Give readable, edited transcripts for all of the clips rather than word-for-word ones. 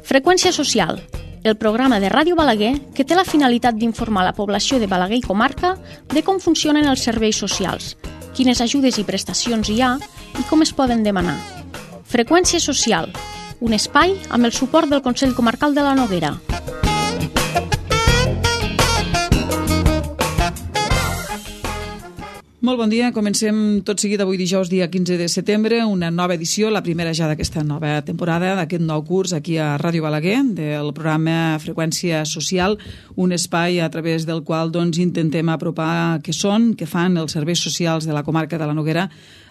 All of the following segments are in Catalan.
Freqüència social, el programa de Ràdio Balaguer que té la finalitat d'informar la població de Balaguer i comarca de com funcionen els serveis socials, quines ajudes i prestacions hi ha i com es poden demanar. Freqüència social, un espai amb el suport del Consell Comarcal de la Noguera. Molt bon dia, comencem tot seguit avui dijous, dia 15 de setembre, una nova edició, la primera ja d'aquesta nova temporada, d'aquest nou curs aquí a Ràdio Balaguer, del programa Freqüència Social, un espai a través del qual intentem apropar què són, què fan els serveis socials de la comarca de la Noguera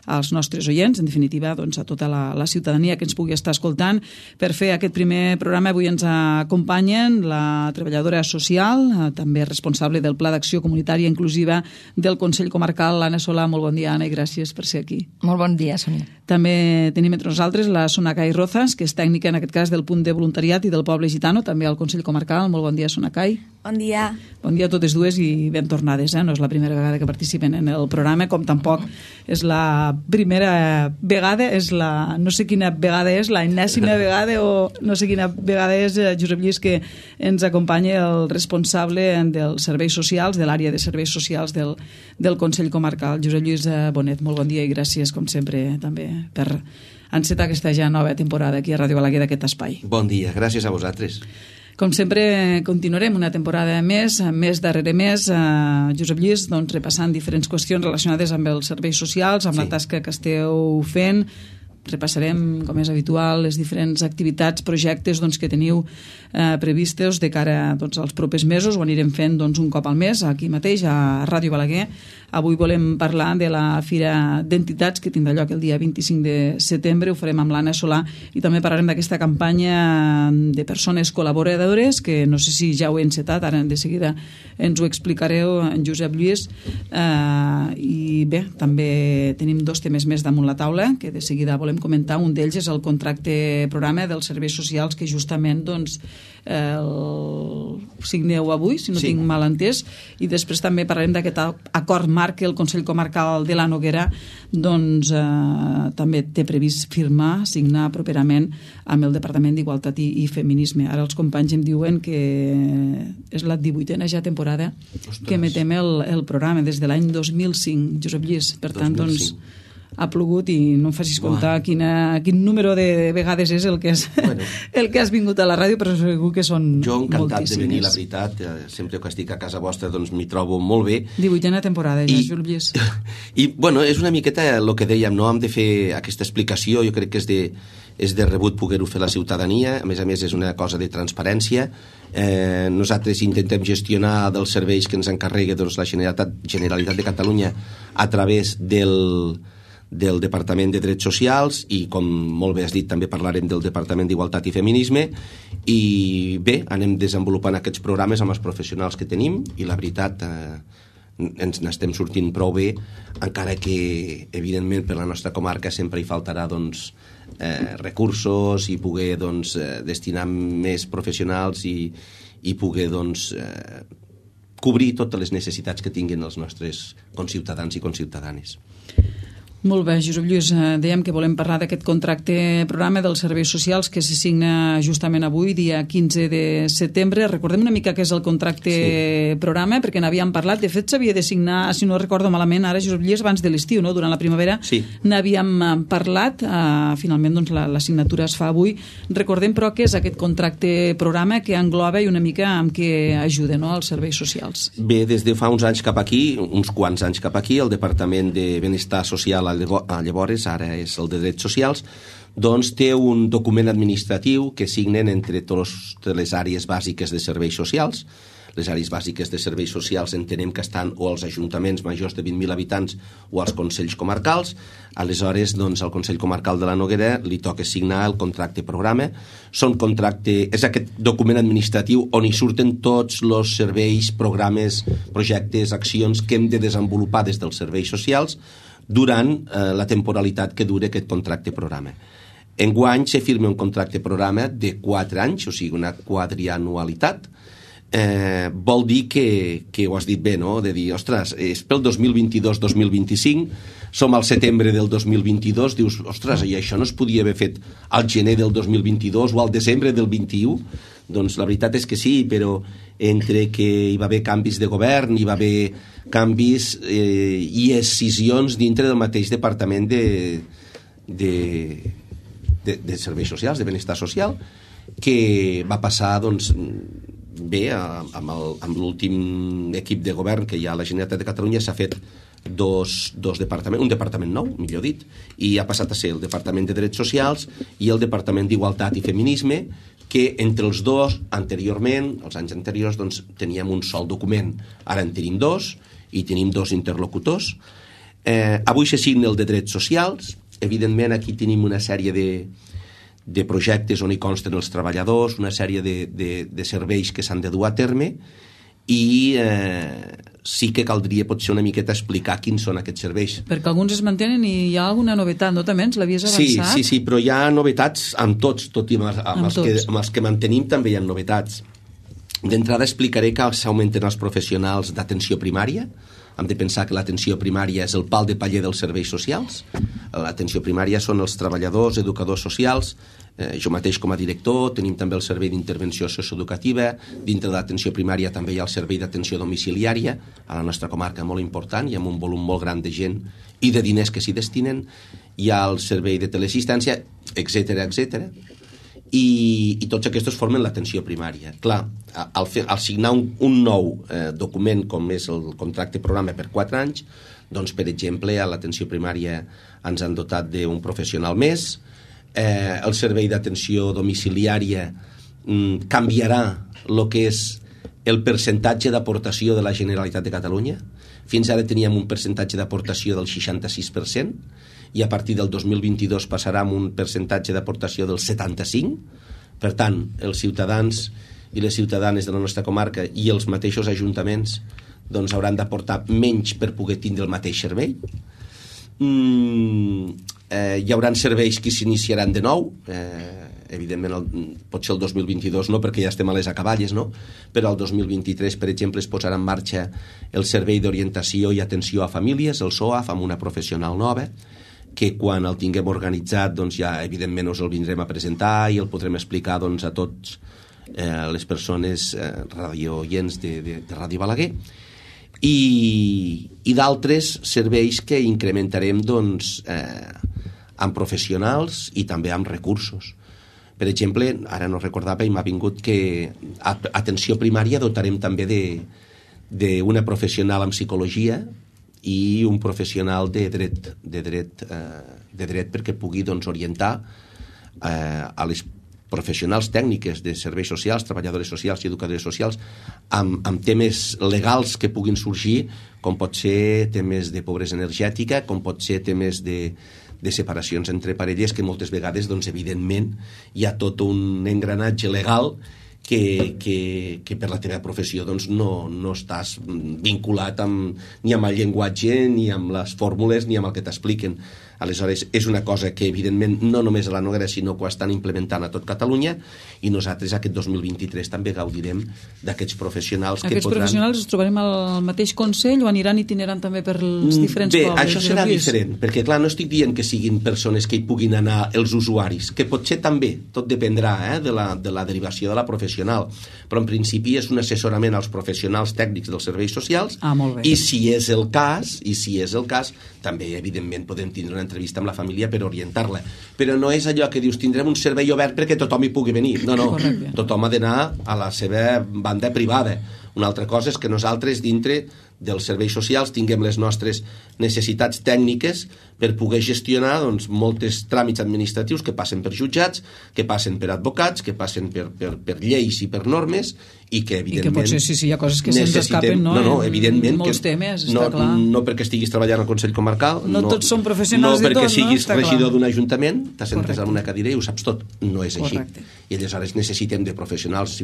als nostres oients, en definitiva a tota la ciutadania que ens pugui estar escoltant. Per fer aquest primer programa avui ens acompanyen la treballadora social, també responsable del Pla d'Acció Comunitària Inclusiva del Consell Comarcal, Anna Solà. Molt bon dia, Anna, i gràcies per ser aquí. Molt bon dia, Sònia. També tenim entre nosaltres la Sonacay Rozas, que és tècnica, en aquest cas, del punt de voluntariat i del poble gitano, també al Consell Comarcal. Molt bon dia, Sonacay. Bon dia. Bon dia a totes dues i ben tornades. No és la primera vegada que participen en el programa, com tampoc és la primera vegada, no sé quina vegada és, la enèsima vegada o no sé quina vegada és, Josep Lluís, que ens acompanya el responsable dels serveis socials, de l'àrea de serveis socials del Consell Comarcal. Josep Lluís Bonet, molt bon dia i gràcies, com sempre, també per encetar aquesta ja nova temporada aquí a Ràdio Balaguer d'aquest espai. Bon dia, gràcies a vosaltres. Com sempre, continuarem una temporada més darrere més, Josep Lluís, repassant diferents qüestions relacionades amb els serveis socials, amb la tasca que esteu fent. Repassarem, com és habitual, les diferents activitats, projectes que teniu previstos de cara als propers mesos. Ho anirem fent un cop al mes, aquí mateix, a Ràdio Balaguer. Avui volem parlar de la Fira d'Entitats, que tindrà lloc el dia 25 de setembre. Ho farem amb l'Anna Solà i també parlarem d'aquesta campanya de persones col·laboradores, que no sé si ja ho he encetat, ara de seguida ens ho explicareu, en Josep Lluís. I bé, també tenim 2 temes més damunt la taula, que de seguida volem comentar. Un d'ells és el contracte programa dels serveis socials que justament el signeu avui, si no tinc mal entès, i després també parlarem d'aquest acord marc que el Consell Comarcal de la Noguera també té previst signar properament amb el Departament d'Igualtat i Feminisme. Ara els companys em diuen que és la 18a ja temporada que emetem el programa des de l'any 2005, Josep Lluís. Per tant, ha plogut i no em facis comptar quin número de vegades és el que has vingut a la ràdio, però segur que són moltíssimes. Jo encantat de venir, la veritat. Sempre que estic a casa vostra m'hi trobo molt bé. 18a temporada, ja, Josep Lluís. I, és una miqueta el que dèiem, no? Hem de fer aquesta explicació, jo crec que és de rebut poder-ho fer la ciutadania. A més, és una cosa de transparència. Nosaltres intentem gestionar dels serveis que ens encarrega la Generalitat de Catalunya a través del Departament de Drets Socials i, com molt bé has dit, també parlarem del Departament d'Igualtat i Feminisme. I bé, anem desenvolupant aquests programes amb els professionals que tenim i la veritat ens n'estem sortint prou bé, encara que evidentment per la nostra comarca sempre hi faltarà recursos i poder destinar més professionals i poder cobrir totes les necessitats que tinguin els nostres conciutadans i conciutadanes. Molt bé, Josep Lluís, dèiem que volem parlar d'aquest contracte programa dels serveis socials que se signa justament avui, dia 15 de setembre. Recordem una mica què és el contracte programa, perquè n'havíem parlat. De fet, s'havia de signar, si no recordo malament, ara, Josep Lluís, abans de l'estiu, no? Durant la primavera n'havíem parlat. Finalment, la signatura es fa avui. Recordem, però, què és aquest contracte programa que engloba i una mica amb què ajuda, no?, als serveis socials. Bé, des de fa uns anys cap aquí, uns quants anys cap aquí, el Departament de Benestar Social llavors, ara és el de Drets Socials, té un document administratiu que signen entre totes les àrees bàsiques de serveis socials. Les àrees bàsiques de serveis socials entenem que estan o als ajuntaments majors de 20.000 habitants o als consells comarcals. Aleshores, al Consell Comarcal de la Noguera li toca signar el contracte programa. És aquest document administratiu on hi surten tots els serveis, programes, projectes, accions que hem de desenvolupar des dels serveis socials durant la temporalitat que dura aquest contracte programa. Enguany se firma un contracte programa de 4 anys, o sigui, una quadrianualitat, vol dir que ho has dit bé, no? De dir, ostres, és pel 2022-2025, som al setembre del 2022, dius, ostres, i això no es podia haver fet al gener del 2022 o al desembre del 21? Doncs la veritat és que sí, però entre que hi va haver canvis de govern, hi va haver canvis i escissions dintre del mateix departament de serveis socials, de benestar social, que va passar, doncs, bé, amb l'últim equip de govern que hi ha a la Generalitat de Catalunya s'ha fet dos departaments, un departament nou, millor dit, i ha passat a ser el Departament de Drets Socials i el Departament d'Igualtat i Feminisme, que entre els dos, anteriorment, els anys anteriors, doncs, teníem un sol document. Ara en tenim dos, i tenim dos interlocutors. Avui se signa el de Drets Socials. Evidentment, aquí tenim una sèrie de projectes on hi consten els treballadors, una sèrie de serveis que s'han de dur a terme, i sí que caldria potser una miqueta explicar quins són aquests serveis. Perquè alguns es mantenen i hi ha alguna novetat, no? També ens l'havies avançat? Sí, però hi ha novetats amb tots, tot i amb els que mantenim també hi ha novetats. D'entrada explicaré que s'augmenten els professionals d'atenció primària. Hem de pensar que l'atenció primària és el pal de paller dels serveis socials. L'atenció primària són els treballadors, educadors socials. Jo mateix com a director tenim també el servei d'intervenció socioeducativa. Dintre de l'atenció primària també hi ha el servei d'atenció domiciliària, a la nostra comarca molt important i amb un volum molt gran de gent i de diners que s'hi destinen. Hi ha el servei de teleassistència, etc. I tots aquests formen l'atenció primària. Clar, al signar un nou document com és el contracte programa per 4 anys, doncs, per exemple, a l'atenció primària ens han dotat d'un professional més. El servei d'atenció domiciliària canviarà el que és el percentatge d'aportació de la Generalitat de Catalunya. Fins ara teníem un percentatge d'aportació del 66%, i a partir del 2022 passarà amb un percentatge d'aportació del 75%. Per tant, els ciutadans i les ciutadanes de la nostra comarca i els mateixos ajuntaments doncs hauran d'aportar menys per poder tindre el mateix servei. Hi haurà serveis que s'iniciaran de nou, evidentment potser el 2022 no, perquè ja estem a les acaballes, no? Però el 2023, per exemple, es posarà en marxa el Servei d'Orientació i Atenció a Famílies, el SOAF, amb una professional nova, que quan el tinguem organitzat doncs ja evidentment us el vindrem a presentar i el podrem explicar doncs, a tots les persones radiooients de Ràdio Balaguer, i d'altres serveis que incrementarem doncs, amb professionals i també amb recursos. Per exemple, ara no recordava i m'ha vingut que a atenció primària dotarem també d'una professional en psicologia i un professional de dret perquè pugui doncs, orientar a les professionals tècniques de serveis socials, treballadores socials i educadores socials amb temes legals que puguin sorgir, com pot ser temes de pobresa energètica, com pot ser temes de separacions entre parelles, que moltes vegades, doncs, evidentment, hi ha tot un engranatge legal que per la teva professió doncs, no estàs vinculat ni amb el llenguatge, ni amb les fórmules, ni amb el que t'expliquen. Aleshores, és una cosa que, evidentment, no només a la Noguera, sinó que ho estan implementant a tot Catalunya, i nosaltres aquest 2023 també gaudirem d'aquests professionals que podran... Aquests professionals els trobarem al mateix Consell o aniran itinerant també per els diferents pobles? Bé, això serà diferent, perquè, clar, no estic dient que siguin persones que hi puguin anar els usuaris, que potser també, tot dependrà de la derivació de la professional, però en principi és un assessorament als professionals tècnics dels serveis socials, i si és el cas, també, evidentment, podem tindre una entrevista amb la família per orientar-la. Però no és allò que dius, tindrem un servei obert perquè tothom hi pugui venir. No, tothom ha d'anar a la seva banda privada. Una altra cosa és que nosaltres, dintre dels serveis socials, tinguem les nostres necessitats tècniques per poder gestionar doncs, molts tràmits administratius que passen per jutjats, que passen per advocats, que passen per lleis i per normes, i que evidentment... I que potser sí, hi ha coses que se'ns escapen, no? No, evidentment. Molts temes, està clar. No perquè estiguis treballant al Consell Comarcal, no tots són professionals de tot, no? No perquè siguis regidor d'un ajuntament, t'assentes en una cadira i ho saps tot. No és així. I aleshores necessitem de professionals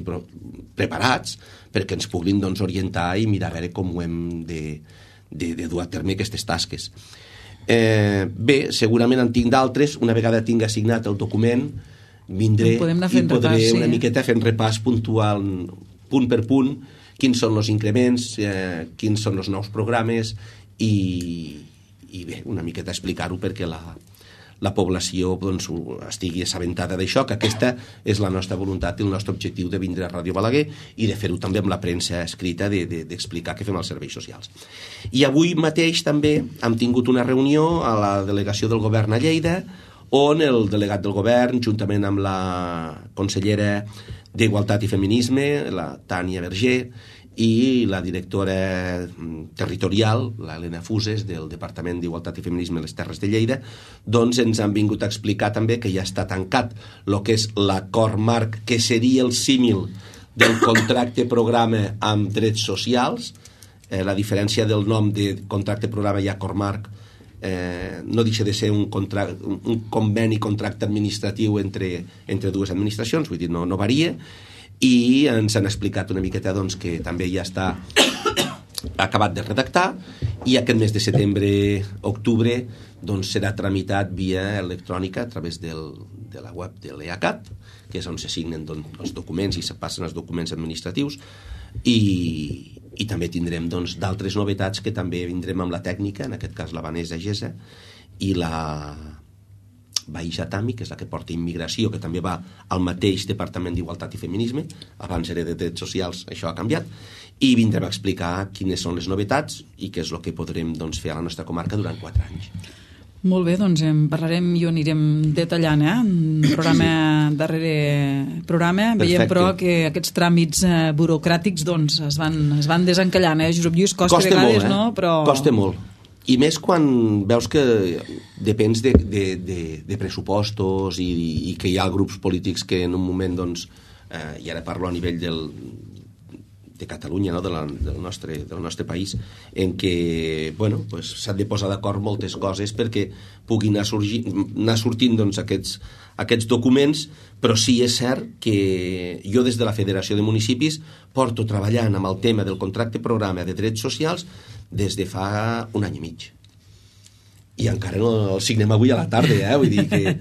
preparats perquè ens puguin doncs, orientar i mirar a veure com ho hem de dur a terme aquestes tasques. Bé, segurament en tinc d'altres. Una vegada tinc assignat el document, vindré i podré una miqueta fer un repàs puntual punt per punt, quins són els increments, quins són els nous programes i bé, una miqueta explicar-ho perquè la població doncs, estigui assabentada d'això, que aquesta és la nostra voluntat i el nostre objectiu de vindre a Ràdio Balaguer i de fer-ho també amb la premsa escrita, d'explicar què fem als serveis socials. I avui mateix també hem tingut una reunió a la delegació del govern a Lleida, on el delegat del govern, juntament amb la consellera d'Igualtat i Feminisme, la Tània Verger, i la directora territorial, l'Helena Fuses, del Departament d'Igualtat i Feminisme a les Terres de Lleida, doncs ens han vingut a explicar també que ja està tancat el que és l'acord marc, que seria el símil del contracte programa amb drets socials. La diferència del nom de contracte programa i acord marc no deixa de ser un conveni, contracte administratiu entre dues administracions, vull dir, no varia, i ens han explicat una miqueta doncs, que també ja està acabat de redactar i aquest mes de setembre-octubre doncs, serà tramitat via electrònica a través de la web de l'EACAT, que és on se signen doncs, els documents i se passen els documents administratius, i també tindrem doncs, d'altres novetats que també vindrem amb la tècnica, en aquest cas la Vanessa Gesa i la Baïja Tami, que és la que porta immigració, que també va al mateix Departament d'Igualtat i Feminisme, abans era de Drets Socials, això ha canviat, i vindrem a explicar quines són les novetats i què és el que podrem doncs, fer a la nostra comarca durant 4 anys. Molt bé, doncs en parlarem i ho anirem detallant, programa darrere programa. Veiem, però, que aquests tràmits burocràtics doncs, es van desencallant, Josep Lluís, costa vegades, molt, no? Però... Costa molt. I més quan veus que depens de pressupostos i que hi ha grups polítics que en un moment, doncs, i ara parlo a nivell de Catalunya, no? del nostre país, en què bueno, pues, s'han de posar d'acord moltes coses perquè puguin anar sortint doncs, aquests documents, però sí és cert que jo des de la Federació de Municipis porto treballant amb el tema del contracte programa de drets socials des de fa 1 any i mig. I encara no el signem avui a la tarda, vull dir que...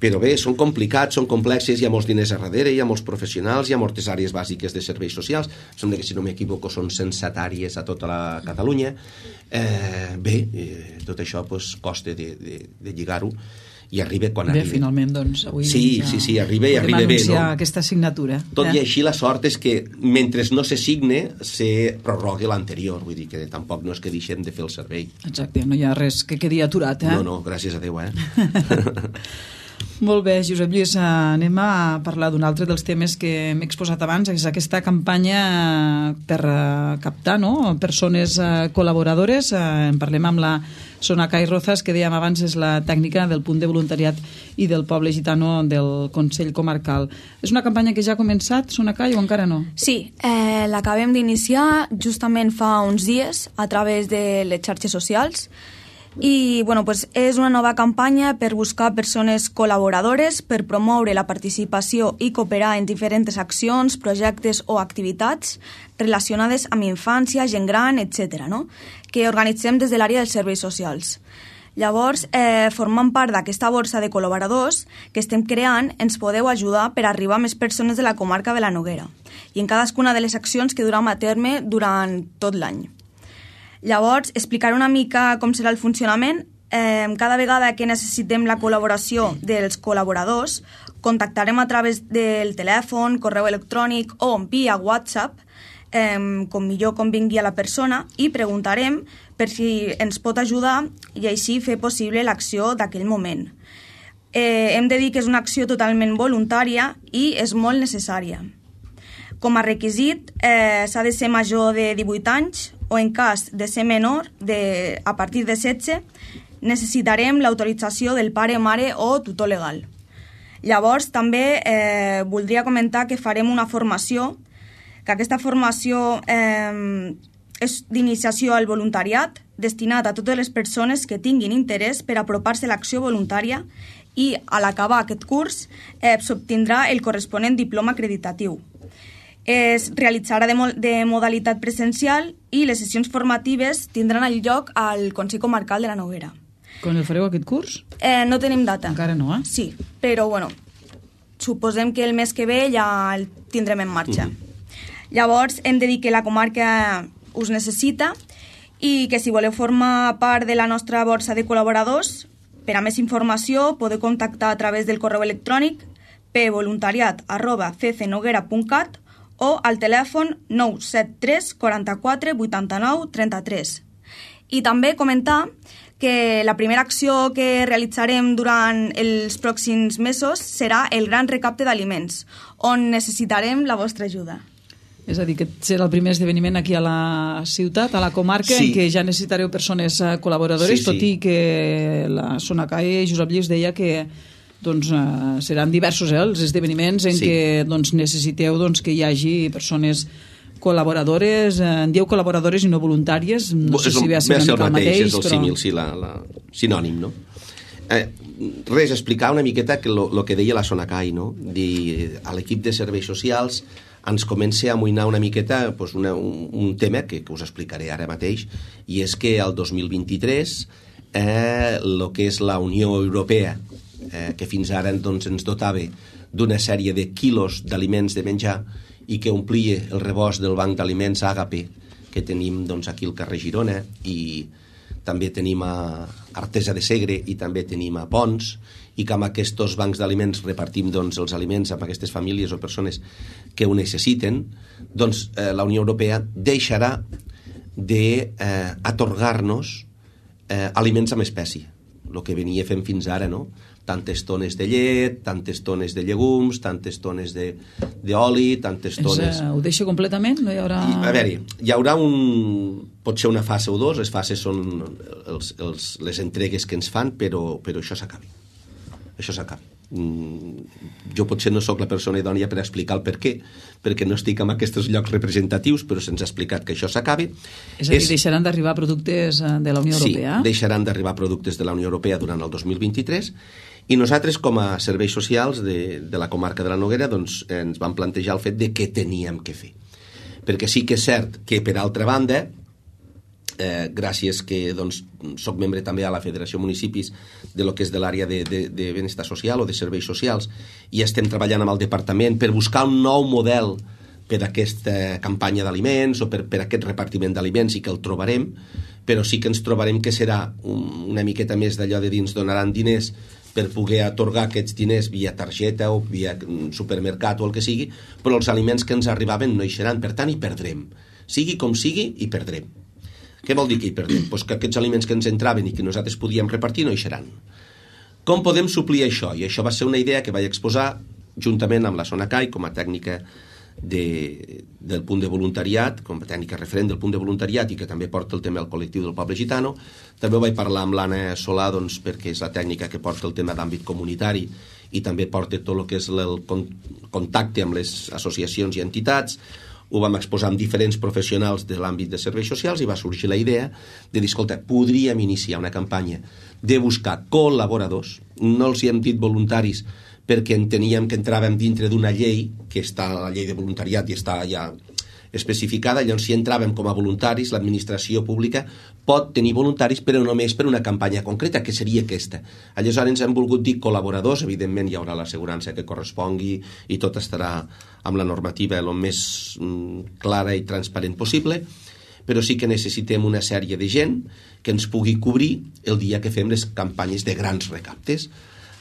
Però bé, són complicats, són complexes, hi ha molts diners a darrere, hi ha molts professionals, hi ha moltes àrees bàsiques de serveis socials, sembla que, si no m'equivoco, són 107 àrees a tota la Catalunya. Tot això pues, costa de lligar-ho i arriba quan arriba. Bé, finalment, doncs, avui sí, arriba i arriba bé, no? Aquesta signatura. Tot i així, la sort és que mentre no se signe, se prorroga l'anterior, vull dir que tampoc no és que deixem de fer el servei. Exacte, no hi ha res que quedi aturat, No, gràcies a Déu, Molt bé, Josep Lluís, anem a parlar d'un altre dels temes que m'he exposat abans, és aquesta campanya per captar persones col·laboradores. En parlem amb la Sonacay Rozas, que dèiem abans és la tècnica del punt de voluntariat i del poble gitano del Consell Comarcal. És una campanya que ja ha començat, Sonacay, o encara no? Sí, l'acabem d'iniciar justament fa uns dies a través de les xarxes socials. I bueno, pues és una nova campanya per buscar persones col·laboradores per promoure la participació i cooperar en diferents accions, projectes o activitats relacionades amb infància, gent gran, etc., no? Que organitzem des de l'àrea dels serveis socials. Llavors, formant part d'aquesta borsa de col·laboradors que estem creant, ens podeu ajudar per arribar a més persones de la comarca de la Noguera i en cadascuna de les accions que duram a terme durant tot l'any. Llavors, explicaré una mica com serà el funcionament. Cada vegada que necessitem la col·laboració dels col·laboradors, contactarem a través del telèfon, correu electrònic o via WhatsApp, com millor convingui a la persona, i preguntarem per si ens pot ajudar i així fer possible l'acció d'aquell moment. Hem de dir que és una acció totalment voluntària i és molt necessària. Com a requisit, s'ha de ser major de 18 anys o, en cas de ser menor, a partir de 16, necessitarem l'autorització del pare, mare o tutor legal. Llavors, també voldria comentar que farem una formació, que aquesta formació és d'iniciació al voluntariat, destinat a totes les persones que tinguin interès per apropar-se a l'acció voluntària, i a l'acabar aquest curs s'obtindrà el corresponent diploma acreditatiu. Es realitzarà de modalitat presencial i les sessions formatives tindran lloc al Consell Comarcal de la Noguera. Quan el fareu aquest curs? No tenim data. Encara no, Sí, però bueno, suposem que el mes que ve ja el tindrem en marxa. Llavors, hem de dir que la comarca us necessita i que si voleu formar part de la nostra borsa de col·laboradors, per a més informació podeu contactar a través del correu electrònic pvoluntariat@ccnoguera.cat o al telèfon 973 44 89 33. I també comentar que la primera acció que realitzarem durant els pròxims mesos serà el gran recapte d'aliments, on necessitarem la vostra ajuda. És a dir, que serà el primer esdeveniment aquí a la ciutat, a la comarca, en què ja necessitareu persones col·laboradores, tot i que la Sonacai, Josep Lluís, deia que seran diversos els esdeveniments en què necessiteu que hi hagi persones col·laboradores, en dieu col·laboradores i no voluntàries, no sé si ve a ser una mica el mateix, és el símil, sí, sinònim, no? Res, explicar una miqueta el que deia la Sonacai, no? A l'equip de serveis socials ens comença a amoïnar una miqueta un tema que us explicaré ara mateix, i és que el 2023 el que és la Unió Europea, que fins ara ens dotava d'una sèrie de quilos d'aliments de menjar i que omplia el rebost del banc d'aliments Àgape que tenim aquí al carrer Girona, i també tenim a Artesa de Segre i també tenim a Pons, i que amb aquests bancs d'aliments repartim els aliments amb aquestes famílies o persones que ho necessiten. La Unió Europea deixarà d'atorgar-nos aliments amb espècie, el que venia fent fins ara, no? Tantes tones de llet, tantes tones de llegums, tantes tones d'oli, tantes tones... Ho deixa completament? No hi haurà... A veure, hi haurà potser una fase o dos, les fases són les entregues que ens fan, però això s'acabi. Això s'acabi. Jo potser no sóc la persona idònia per explicar el per què, perquè no estic en aquests llocs representatius, però se'ns ha explicat que això s'acabi. És a dir, deixaran d'arribar productes de la Unió Europea? Sí, deixaran d'arribar productes de la Unió Europea durant el 2023, i nosaltres, com a serveis socials de la comarca de la Noguera, ens vam plantejar el fet de què teníem que fer. Perquè sí que és cert que, per altra banda, gràcies que soc membre també a la Federació Municipis de lo que és de l'àrea de benestar social o de serveis socials, i estem treballant amb el departament per buscar un nou model per a aquesta campanya d'aliments o per aquest repartiment d'aliments, i que el trobarem, però sí que ens trobarem que serà una miqueta més d'allò de dins donaran diners per poder atorgar aquests diners via targeta o via supermercat o el que sigui, però els aliments que ens arribaven no hi seran, per tant hi perdrem. Sigui com sigui, hi perdrem. Què vol dir que hi perdem? Pues que aquests aliments que ens entraven i que nosaltres podíem repartir no hi seran. Com podem suplir això? I això va ser una idea que vaig exposar juntament amb la Sonacai com a tècnica del punt de voluntariat, com a tècnica referent del punt de voluntariat, i que també porta el tema del col·lectiu del poble gitano. També ho vaig parlar amb l'Anna Solà, perquè és la tècnica que porta el tema d'àmbit comunitari i també porta tot el que és el contacte amb les associacions i entitats. Ho vam exposar amb diferents professionals de l'àmbit de serveis socials i va sorgir la idea de dir, escolta, podríem iniciar una campanya de buscar col·laboradors. No els hi hem dit voluntaris perquè enteníem que entràvem dintre d'una llei, que està la llei de voluntariat i està ja especificada. Llavors, si entràvem com a voluntaris, l'administració pública pot tenir voluntaris, però només per una campanya concreta, que seria aquesta. Aleshores ens hem volgut dir col·laboradors, evidentment hi haurà l'assegurança que correspongui i tot estarà amb la normativa el més clara i transparent possible, però sí que necessitem una sèrie de gent que ens pugui cobrir el dia que fem les campanyes de grans recaptes.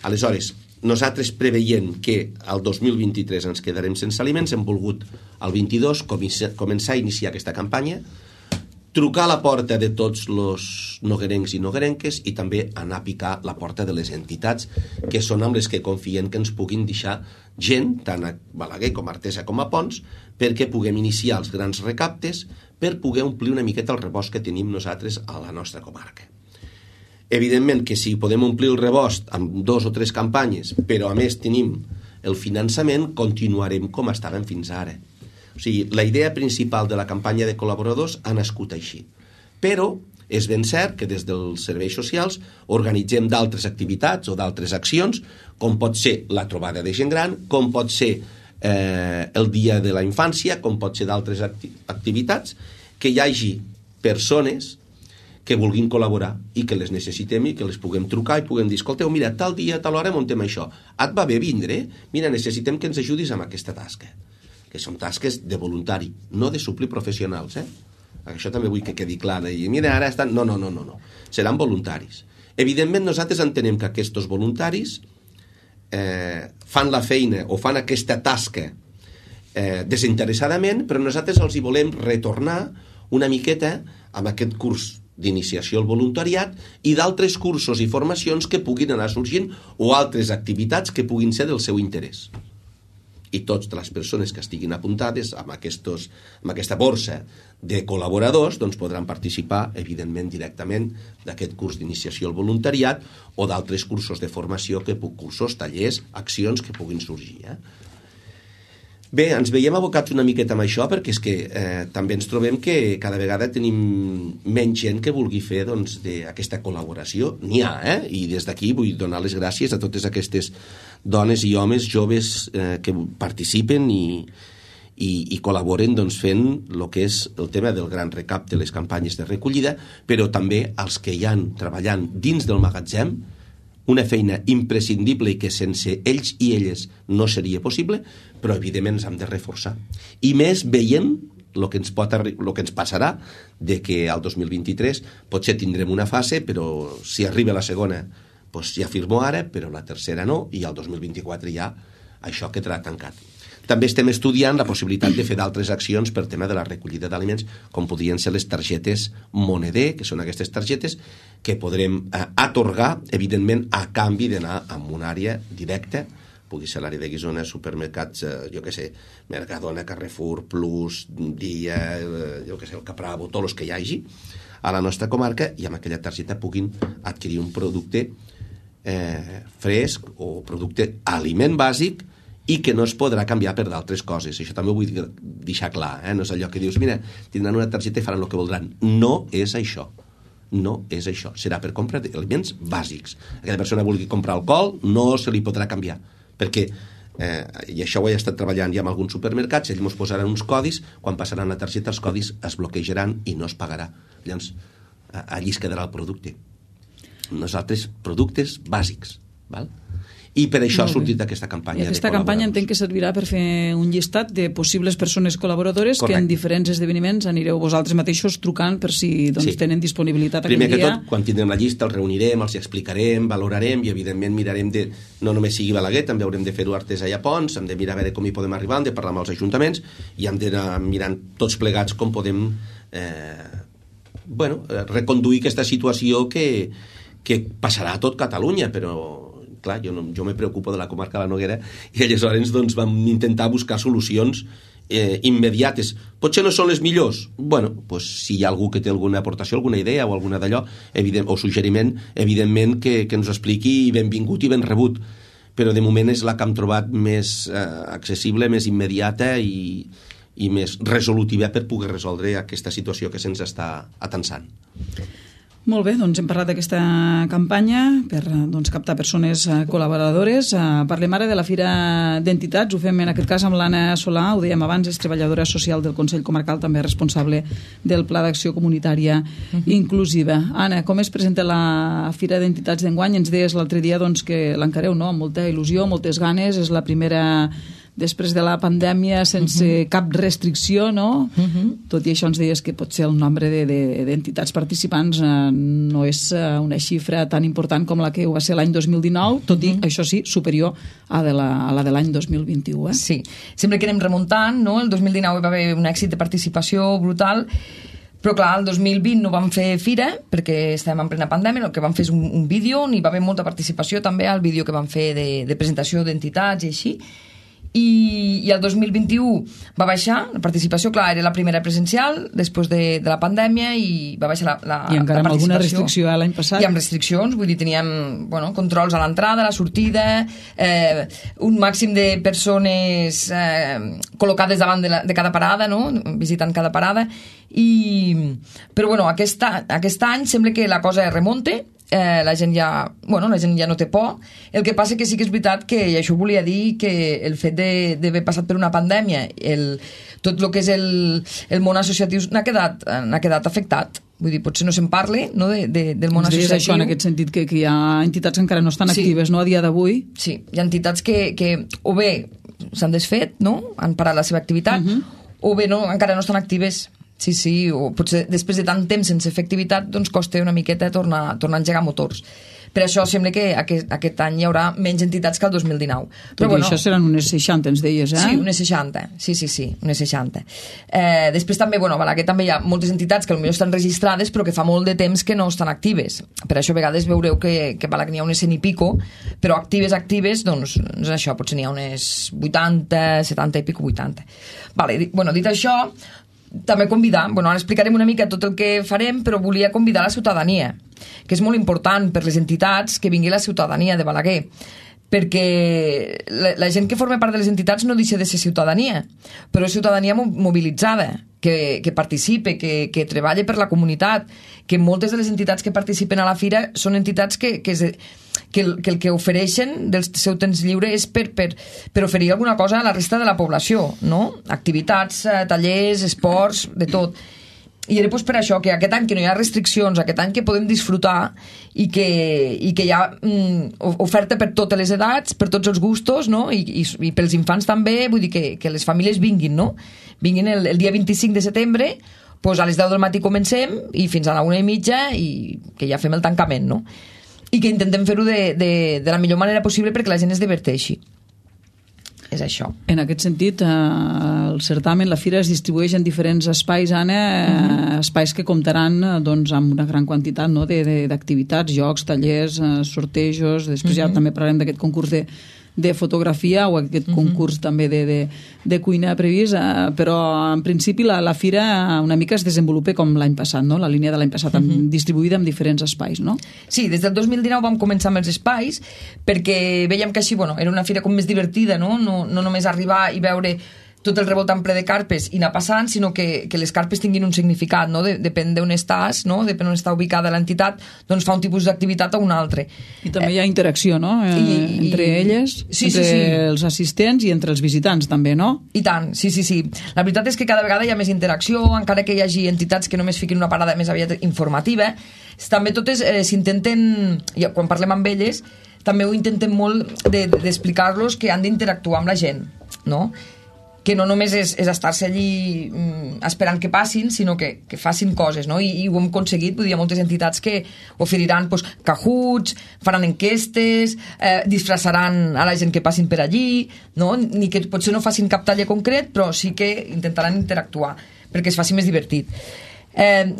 Aleshores, nosaltres preveient que al 2023 ens quedarem sense aliments, hem volgut al 22 començar a iniciar aquesta campanya, trucar a la porta de tots els noguerencs i noguerenques i també anar a picar la porta de les entitats que són amb les que confien que ens puguin deixar gent, tant a Balaguer com a Artesa com a Pons, perquè puguem iniciar els grans recaptes per poder omplir una miqueta el rebost que tenim nosaltres a la nostra comarca. Evidentment que si podem omplir el rebost amb 2 o 3 campanyes, però a més tenim el finançament, continuarem com estàvem fins ara. O sigui, la idea principal de la campanya de col·laboradors ha nascut així. Però és ben cert que des dels serveis socials organitzem d'altres activitats o d'altres accions, com pot ser la trobada de gent gran, com pot ser el dia de la infància, com pot ser d'altres activitats, que hi hagi persones que vulguin col·laborar i que les necessitem i que les puguem trucar i puguem dir, escolteu, mira, tal dia, tal hora muntem això. Et va bé vindre? Mira, necessitem que ens ajudis amb aquesta tasca. que són tasques de voluntari, no de suplir professionals, Això també vull que quedi clar. I mira, ara estan... No. Seran voluntaris. Evidentment, nosaltres entenem que aquests voluntaris fan la feina o fan aquesta tasca desinteressadament, però nosaltres els hi volem retornar una miqueta amb aquest curs d'iniciació al voluntariat i d'altres cursos i formacions que puguin anar sorgint o altres activitats que puguin ser del seu interès. I totes les persones que estiguin apuntades amb aquesta borsa de col·laboradors doncs podran participar, evidentment, directament d'aquest curs d'iniciació al voluntariat o d'altres cursos de formació, cursos, tallers, accions que puguin sorgir. Bé, ens veiem abocats una miqueta amb això perquè és que també ens trobem que cada vegada tenim menys gent que vulgui fer aquesta col·laboració. N'hi ha, i des d'aquí vull donar les gràcies a totes aquestes dones i homes joves que participen i col·laboren fent el que és el tema del gran recapte, les campanyes de recollida, però també els que hi han treballant dins del magatzem, una feina imprescindible i que sense ells i elles no seria possible, però evidentment ens hem de reforçar. I més veient el que ens passarà de que al 2023 potser tindrem una fase, però si arriba la segona doncs ja firmo ara, però la tercera no, i al 2024 ja això quedarà tancat. També estem estudiant la possibilitat de fer d'altres accions per tema de la recollida d'aliments, com podrien ser les targetes Moneder, que són aquestes targetes que podrem atorgar, evidentment, a canvi d'anar a una àrea directa, pugui ser l'àrea de Guissona, supermercats, Mercadona, Carrefour, Plus, Dia, el Capravo, tots els que hi hagi, a la nostra comarca, i amb aquella targeta puguin adquirir un producte fresc o producte aliment bàsic i que no es podrà canviar per d'altres coses. Això també ho vull deixar clar, no és allò que dius, mira, tindran una targeta i faran el que voldran. No és això. No és això. Serà per compra d'aliments bàsics. Aquella persona vulgui comprar alcohol, no se li podrà canviar, perquè i això ho he estat treballant ja en alguns supermercats, ells ens posaran uns codis, quan passaran la targeta els codis es bloquejaran i no es pagarà. Llavors, allí es quedarà el producte. Nosaltres, productes bàsics, val? I per això ha sortit aquesta campanya. I aquesta campanya entenc que servirà per fer un llistat de possibles persones col·laboradores. Correcte. Que en diferents esdeveniments anireu vosaltres mateixos trucant per si tenen disponibilitat aquell dia. Primer que tot, quan tindrem la llista els reunirem, els explicarem, valorarem i evidentment mirarem de, no només sigui Balaguer, també haurem de fer-ho Artesa i a Pons, hem de mirar a veure com hi podem arribar, hem de parlar amb els ajuntaments i hem d'anar mirant tots plegats com podem reconduir aquesta situació que passarà a tot Catalunya, però clar, jo me preocupo de la comarca de la Noguera i aleshores vam intentar buscar solucions immediates. Potser no són les millors. Si hi ha algú que té alguna aportació, alguna idea o alguna d'allò, o suggeriment, evidentment que ens ho expliqui i benvingut i ben rebut. Però de moment és la que hem trobat més accessible, més immediata i més resolutiva per poder resoldre aquesta situació que se'ns està atensant. Molt bé, doncs hem parlat d'aquesta campanya per captar persones col·laboradores. Parlem ara de la Fira d'Entitats, ho fem en aquest cas amb l'Anna Solà, ho dèiem abans, és treballadora social del Consell Comarcal, també responsable del Pla d'Acció Comunitària Inclusiva. Anna, com es presenta la Fira d'Entitats d'enguany? Ens deies l'altre dia que l'encareu amb molta il·lusió, moltes ganes, és la primera després de la pandèmia sense cap restricció, no? Tot i això ens deies que potser el nombre d'entitats participants no és una xifra tan important com la que va ser l'any 2019, tot i, això sí, superior a la de l'any 2021. Sí, sempre que anem remuntant, no? El 2019 va haver un èxit de participació brutal, però clar, el 2020 no vam fer fira perquè estàvem en plena pandèmia, el que vam fer és un vídeo on hi va haver molta participació també al vídeo que vam fer de presentació d'entitats i així. I el 2021 va baixar la participació, clar, era la primera presencial després de la pandèmia i va baixar la participació. I encara amb alguna restricció l'any passat? I amb restriccions, vull dir, teníem controls a l'entrada, a la sortida, un màxim de persones col·locades davant de cada parada, no? Visitant cada parada, però aquest any sembla que la cosa remunta. La gent ja no té por. El que passa que sí que és veritat que, i això volia dir, que el fet d'haver passat per una pandèmia, tot el que és el món associatiu n'ha quedat afectat. Vull dir, potser no se'n parli, no, del món associatiu. És això, en aquest sentit, que hi ha entitats que encara no estan actives, no, a dia d'avui. Sí, hi ha entitats que o bé s'han desfet, no? Han parat la seva activitat, o bé no, encara no estan actives. Sí, o potser després de tant temps sense fer activitat doncs costa una miqueta tornar a engegar motors. Per això sembla que aquest any hi haurà menys entitats que el 2019. Però bueno, això seran unes 60, ens deies, eh? Sí, unes 60. Sí, unes 60. Després també, bueno, a Balaguer també hi ha moltes entitats que potser estan registrades però que fa molt de temps que no estan actives. Per això a vegades veureu que a Balaguer n'hi ha unes 100 i pico, però actives, doncs això, potser n'hi ha unes 80, 70 i pico, 80. Vale, bueno, dit això, també convidar, ara explicarem una mica tot el que farem, però volia convidar la ciutadania, que és molt important per les entitats que vingui la ciutadania de Balaguer, perquè la gent que forma part de les entitats no deixa de ser ciutadania, però és ciutadania mobilitzada, que participe, que treballe per la comunitat, que moltes de les entitats que participen a la fira són entitats que el que ofereixen del seu temps lliure és per oferir alguna cosa a la resta de la població, no? Activitats, tallers, esports, de tot. I era per això que aquest any que no hi ha restriccions, aquest any que podem disfrutar i que hi ha oferta per totes les edats, per tots els gustos, no? I pels infants també, vull dir que les famílies vinguin, no? Vinguin el dia 25 de setembre, doncs a les 10 del matí comencem i fins a la 1:30 i que ja fem el tancament, no? I que intentem fer-ho de la millor manera possible perquè la gent es diverteixi. És això. En aquest sentit, el certamen, la fira es distribueix en diferents espais, Anna, espais que comptaran doncs, amb una gran quantitat, no?, d'activitats, jocs, tallers, sortejos, després ja també parlarem d'aquest concurs de fotografia o aquest concurs també de cuina previst, però en principi la fira una mica es desenvolupa com l'any passat, no? La línia de l'any passat, distribuïda en diferents espais, no? Sí, des del 2019 vam començar amb els espais perquè veiem que així, era una fira com més divertida, no? No només arribar i veure tot el revoltant ple de carpes i anar passant, sinó que les carpes tinguin un significat, no? Depèn d'on estàs, no? Depèn d'on està ubicada l'entitat, doncs fa un tipus d'activitat o un altre. I també hi ha interacció, no? Entre elles, entre els assistents i entre els visitants, també, no? I tant, sí. La veritat és que cada vegada hi ha més interacció, encara que hi hagi entitats que només fiquin una parada més aviat informativa, també totes s'intenten, quan parlem amb elles, també ho intentem molt d'explicar-los que han d'interactuar amb la gent, no? Que no només és estar-se allí esperant que passin, sinó que facin coses, no? I ho hem aconseguit, vull dir, hi ha moltes entitats que oferiran cajuts, faran enquestes, disfressaran a la gent que passin per allí, no? Ni que potser no facin cap taller concret, però sí que intentaran interactuar perquè es faci més divertit.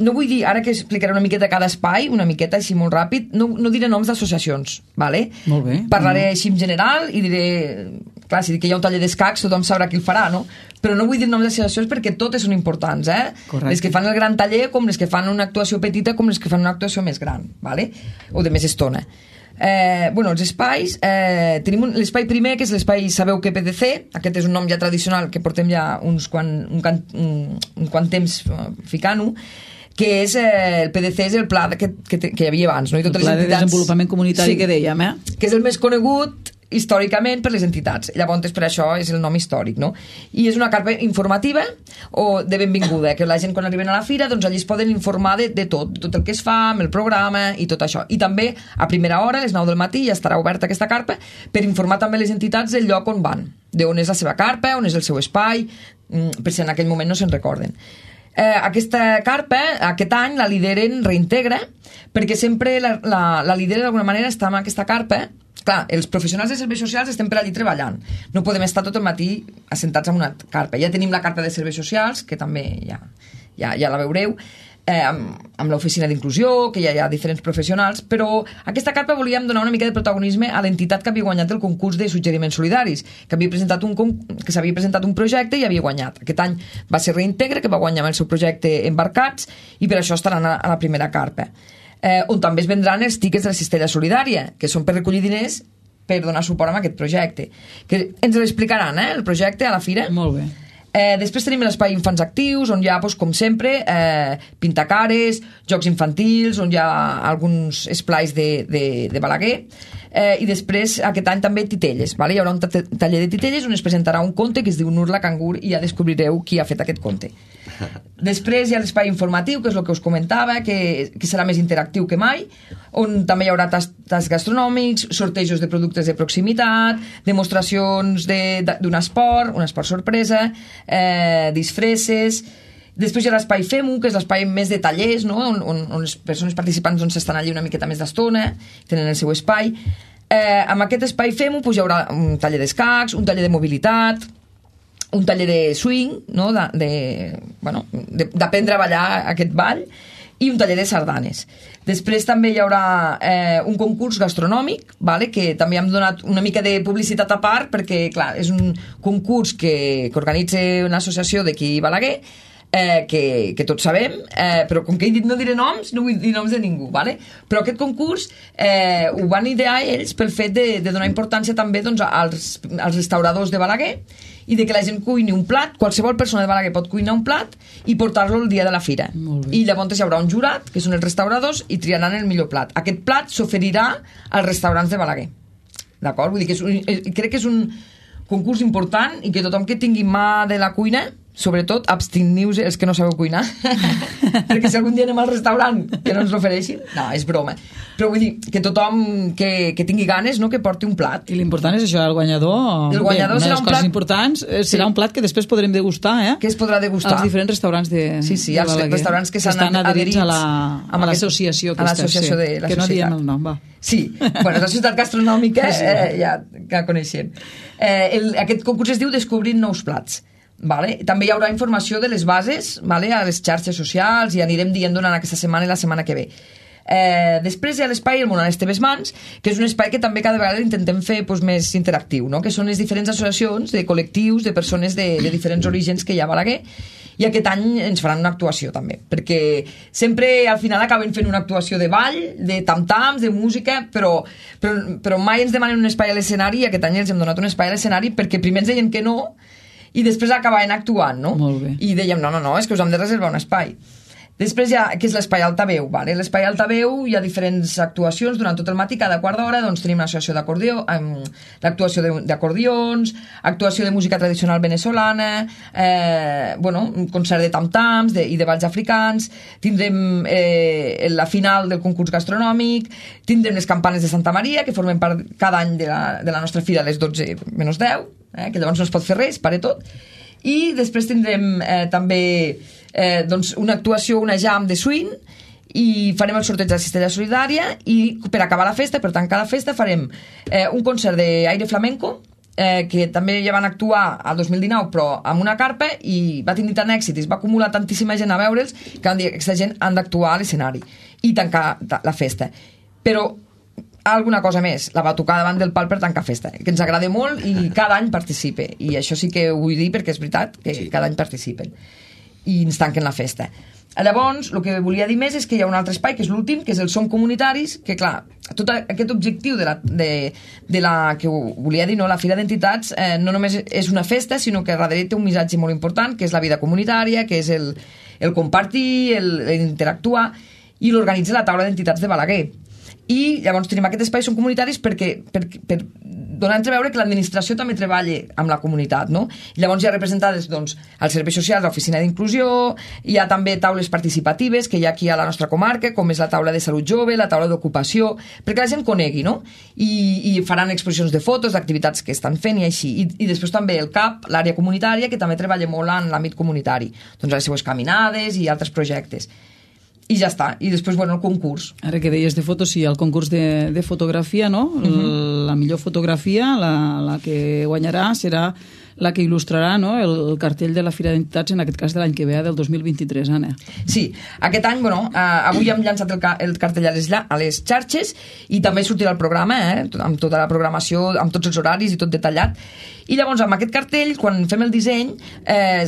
No vull dir, ara que explicaré una miqueta cada espai, una miqueta així molt ràpid, no diré noms d'associacions, ¿vale? Molt bé. Parlaré així en general i diré, clar, si dic que hi ha un taller d'escacs tothom sabrà qui el farà, no? Però no vull dir noms d'associacions perquè totes són importants, Correcte. Les que fan el gran taller com les que fan una actuació petita com les que fan una actuació més gran, ¿vale? O de més estona. Els espais, tenim l'espai primer, que és l'espai Sabeu que PDC, aquest és un nom ja tradicional que portem ja un quant temps ficant-ho, que és el PDC, és el pla que hi havia abans, no? I totes el pla les entitats, de desenvolupament comunitari que dèiem, que és el més conegut històricament per les entitats, llavors per això és el nom històric, no? I és una carpa informativa o de benvinguda, que la gent quan arriben a la fira doncs allí es poden informar de tot el que es fa, amb el programa i tot això, i també a primera hora, a les 9 del matí ja estarà oberta aquesta carpa per informar també les entitats del lloc on van, d'on és la seva carpa, on és el seu espai, per si en aquell moment no se'n recorden. Aquesta carpa, aquest any la lideren Reintegra, perquè sempre la lidera d'alguna manera està en aquesta carpa. Clar, els professionals de serveis socials estem per allí treballant, no podem estar tot el matí assentats en una carpa. Ja tenim la carpa de serveis socials, que també ja la veureu, amb l'oficina d'inclusió, que ja hi ha diferents professionals, però aquesta carpa volíem donar una mica de protagonisme a l'entitat que havia guanyat el concurs de suggeriments solidaris, que s'havia presentat un projecte i havia guanyat. Aquest any va ser Reintegra, que va guanyar amb el seu projecte Embarcats, i per això estaran a la primera carpa. On també es vendran els tiquets de la cistella solidària, que són per recollir diners per donar suport a aquest projecte. Que ens l'explicaran, el projecte, a la fira. Molt bé. Després tenim l'espai Infants Actius, on hi ha, com sempre, pintacares, jocs infantils, on hi ha alguns esplais de Balaguer. i després aquest any també titelles, vale? Hi haurà un taller de titelles on es presentarà un conte que es diu Nur la cangur i ja descobrireu qui ha fet aquest conte. Després hi ha l'espai informatiu, que és el que us comentava, que serà més interactiu que mai, on també hi haurà tasks gastronòmics, sortejos de productes de proximitat, demostracions d'un esport, un esport sorpresa, disfresses. Després hi ha l'espai FEMU, que és l'espai més de tallers, no? on les persones participants estan allí una miqueta més d'estona, tenen el seu espai. Amb aquest espai FEMU hi haurà un taller d'escacs, un taller de mobilitat, un taller de swing, no? D'aprendre a ballar aquest ball, i un taller de sardanes. Després també hi haurà un concurs gastronòmic, vale? Que també hem donat una mica de publicitat a part, perquè clar, és un concurs que organitza una associació d'aquí Balaguer, que tots sabem, però com que he dit no diré noms, no vull dir noms de ningú, vale? Però aquest concurs ho van idear ells pel fet de donar importància també doncs, als restauradors de Balaguer i de que la gent cuini un plat, qualsevol persona de Balaguer pot cuinar un plat i portar-lo el dia de la fira. I llavors hi haurà un jurat, que són els restauradors, i triaran el millor plat. Aquest plat s'oferirà als restaurants de Balaguer. D'acord? Vull dir que crec que és un concurs important i que tothom que tingui mà de la cuina, sobretot absteniu-vos els que no sabeu cuinar perquè si algun dia anem al restaurant que no ens l'ofereixin, no, és broma, però vull dir que tothom que tingui ganes, no, que porti un plat. I l'important és això, el guanyador serà una de les coses importants serà un plat que després podrem degustar, que es podrà degustar als diferents restaurants de els restaurants que estan adherits a l'associació de la societat, que no diem el nom, va. Sí, bueno, la societat gastronòmica ja que coneixem. Aquest concurs es diu Descobrint nous plats. Vale? També hi haurà informació de les bases, vale? A les xarxes socials, i anirem dient durant aquesta setmana i la setmana que ve. Després hi ha l'espai El món a les teves mans, que és un espai que també cada vegada intentem fer més interactiu, no? Que són les diferents associacions de col·lectius de persones de diferents orígens que hi ha a Balaguer, i aquest any ens faran una actuació també, perquè sempre al final acaben fent una actuació de ball, de tam-tams, de música, però mai ens demanen un espai a l'escenari, i aquest any els hem donat un espai a l'escenari perquè primer ens deien que no i després acabaven actuant, no? Molt bé. I dèiem, no, és que us hem de reservar un espai. Després hi ha, que és l'espai altaveu, vale? L'espai altaveu hi ha diferents actuacions durant tot el matí, cada quart d'hora doncs tenim l'associació d'acordió, l'actuació d'acordions, actuació de música tradicional venezolana, un concert de tam-tams i de balls africans, tindrem la final del concurs gastronòmic, tindrem les campanes de Santa Maria, que formen part cada any de la nostra fira a les 12 menys 10, que llavors no es pot fer res, para tot. I després tindrem també una actuació, una jam de swing, i farem el sorteig de la cistella solidària, i per acabar la festa, per tancar la festa, farem un concert d'aire flamenco, que també ja van actuar al 2019 però amb una carpa, i va tenir tant èxit i es va acumular tantíssima gent a veure'ls que van dir que aquesta gent han d'actuar a l'escenari i tancar la festa. Però alguna cosa més, la batucada davant del pal per tancar festa, que ens agrada molt i cada any participe, i això sí que ho vull dir perquè és veritat que cada any participen i ens tanquen la festa. Llavors, el que volia dir més és que hi ha un altre espai, que és l'últim, que és el Som Comunitaris, que clar, tot aquest objectiu de la que volia dir, no, la Fira d'Entitats, no només és una festa, sinó que darrere té un missatge molt important, que és la vida comunitària, que és el compartir, l'interactuar, i l'organitza la taula d'entitats de Balaguer. I llavors tenim aquest espai Som Comunitaris per donar a entreveure que l'administració també treballa amb la comunitat, no? I llavors hi ha representades els serveis socials, l'oficina d'inclusió, hi ha també taules participatives que hi ha aquí a la nostra comarca, com és la taula de salut jove, la taula d'ocupació, perquè la gent conegui, no? I faran exposicions de fotos, d'activitats que estan fent i així. I després també el CAP, l'àrea comunitària, que també treballa molt en l'àmbit comunitari, doncs les seues caminades i altres projectes. I ja està. I després, el concurs. Ara que deies de fotos, sí, el concurs de fotografia, no? La millor fotografia, la que guanyarà serà la que il·lustrarà, no, el cartell de la Fira d'Entitats, en aquest cas de l'any que ve, del 2023, Anna. Sí, aquest any, avui hem llançat el cartell a les xarxes i també sortirà el programa, amb tota la programació, amb tots els horaris i tot detallat. I llavors, amb aquest cartell, quan fem el disseny,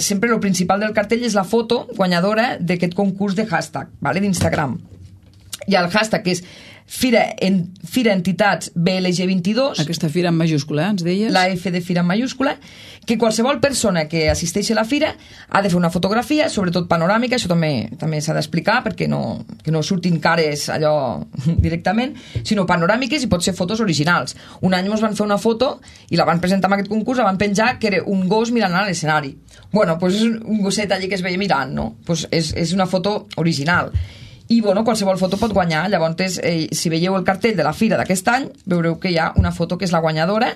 sempre el principal del cartell és la foto guanyadora d'aquest concurs de hashtag, d'Instagram. I el hashtag és Fira Entitats BLG22. Aquesta fira en majúscula, ens deies? La F de fira en majúscula, que qualsevol persona que assisteixi a la fira ha de fer una fotografia, sobretot panoràmica, això també s'ha d'explicar perquè que no surtin cares allò directament, sinó panoràmiques i pot ser fotos originals. Un any ens van fer una foto i la van presentar en aquest concurs, la van penjar, que era un gos mirant a l'escenari. Bueno, doncs és un gosset allí que es veia mirant, no? Doncs és una foto original. I bueno, qualsevol foto pot guanyar. Llavors, si veieu el cartell de la fira d'aquest any, veureu que hi ha una foto que és la guanyadora,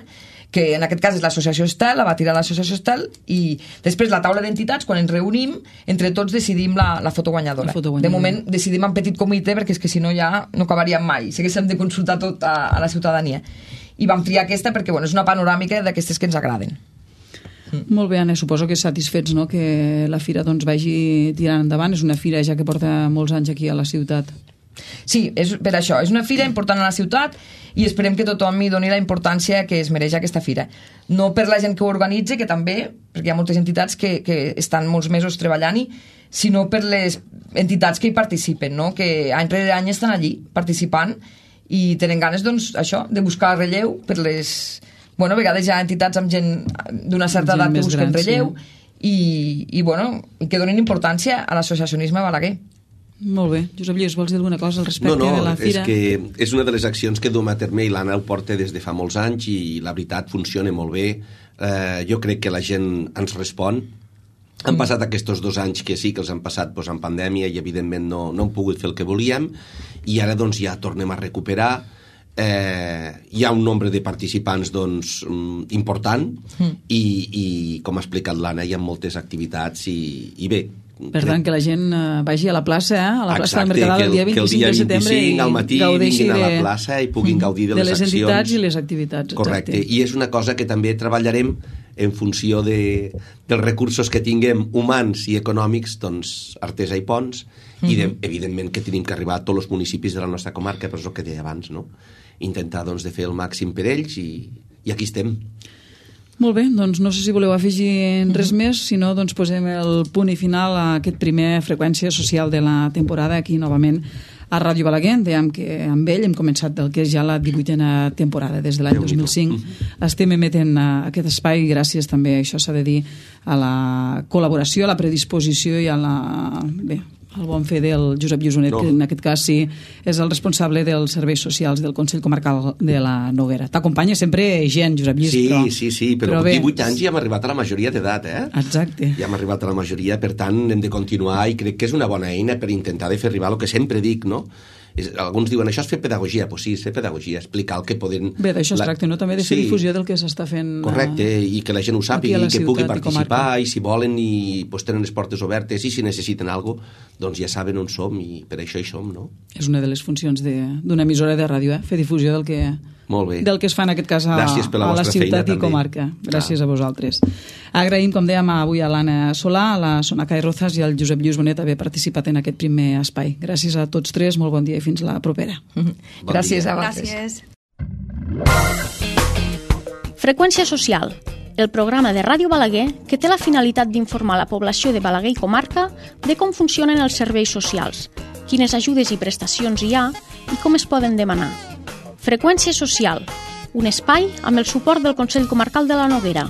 que en aquest cas és l'associació Estel, la va tirar l'associació Estel, i després la taula d'entitats, quan ens reunim, entre tots decidim la foto guanyadora. De moment decidim en petit comitè, perquè és que si no ja no acabaríem mai, s'haguéssim de consultar tot a la ciutadania. I vam triar aquesta perquè és una panoràmica d'aquestes que ens agraden. Molt bé, Anna, suposo que satisfets, no?, que la fira vagi tirant endavant. És una fira ja que porta molts anys aquí a la ciutat. Sí, per això, és una fira important a la ciutat i esperem que tothom hi doni la importància que es mereix aquesta fira. No per la gent que ho organitza, que també, perquè hi ha moltes entitats que estan molts mesos treballant-hi, sinó per les entitats que hi participen, no?, que any rere any estan allí participant i tenen ganes, doncs, això, de buscar relleu per les... Bueno, a vegades hi ha entitats amb gent d'una certa edat que busquen relleu i que donin importància a l'associacionisme balaguer. Molt bé. Josep Lluís, vols dir alguna cosa al respecte de la fira? No, és que és una de les accions que duem a terme i l'Anna ho porta des de fa molts anys i la veritat funciona molt bé. Jo crec que la gent ens respon. Han passat aquests 2 anys que sí que els han passat en pandèmia i evidentment no hem pogut fer el que volíem i ara doncs ja tornem a recuperar. Hi ha un nombre de participants important i com ha explicat l'Anna hi ha moltes activitats i bé. Per tant, que la gent vagi a la plaça, a la plaça del Mercadal el dia 25 de setembre i al matí vinguin a la plaça i puguin gaudir de les accions. De les entitats i les activitats. Correcte, i és una cosa que també treballarem en funció dels recursos que tinguem humans i econòmics, doncs Artesa i Ponts, i evidentment que tenim que arribar a tots els municipis de la nostra comarca, però és el que deia abans, no? Intentar doncs de fer el màxim per ells i aquí estem. Molt bé, doncs no sé si voleu afegir res més, si no doncs posem el punt i final a aquest primer Freqüència Social de la temporada aquí novament a Ràdio Balaguer. Dèiem que amb ell hem començat del que és ja la 18a temporada, des de l'any 2005. Estem emetent aquest espai gràcies també, això s'ha de dir, a la col·laboració, a la predisposició i a la... Bé, el bon fer del Josep Lluís, que en aquest cas sí és el responsable dels serveis socials del Consell Comarcal de la Noguera. T'acompanya sempre gent, Josep Lluís. Sí, però amb 18 anys ja hem arribat a la majoria d'edat, Exacte. Ja hem arribat a la majoria, per tant hem de continuar i crec que és una bona eina per intentar de fer arribar el que sempre dic, no? Alguns diuen, això és fer pedagogia. Doncs sí, és fer pedagogia, explicar el que poden... Bé, d'això es tracta, no? També de fer difusió del que s'està fent... Correcte, i que la gent ho sàpiga, i que pugui participar, i si volen, i tenen les portes obertes, i si necessiten alguna cosa, doncs ja saben on som, i per això hi som, no? És una de les funcions d'una emissora de ràdio, fer difusió del que... Molt bé. Del que es fa en aquest cas a la ciutat i comarca. Gràcies a vosaltres. Agraïm, com dèiem, avui a l'Anna Solà, a la Sonaca Rozas i al Josep Lluís Bonet haver participat en aquest primer espai. Gràcies a tots tres, molt bon dia i fins la propera. Gràcies a vosaltres. Freqüència Social, el programa de Ràdio Balaguer que té la finalitat d'informar la població de Balaguer i comarca de com funcionen els serveis socials, quines ajudes i prestacions hi ha i com es poden demanar. Freqüència Social, un espai amb el suport del Consell Comarcal de la Noguera.